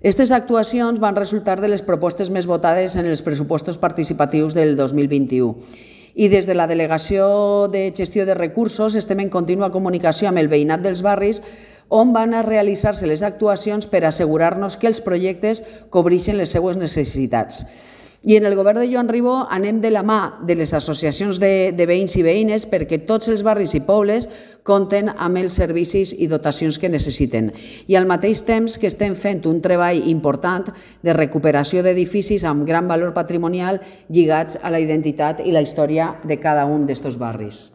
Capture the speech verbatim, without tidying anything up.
Aquestes actuacions van resultar de les propostes més votades en els pressupostos participatius del dos mil vint-i-u. I des de la Delegació de Gestió de Recursos estem en contínua comunicació amb el veïnat dels barris on van a realitzar-se les actuacions per assegurar-nos que els projectes cobreixen les seues necessitats. I en el govern de Joan Ribó anem de la mà de les associacions de, de veïns i veïnes perquè tots els barris i pobles compten amb els servicis i dotacions que necessiten. I al mateix temps que estem fent un treball important de recuperació d'edificis amb gran valor patrimonial lligats a la identitat i la història de cada un d'estos barris.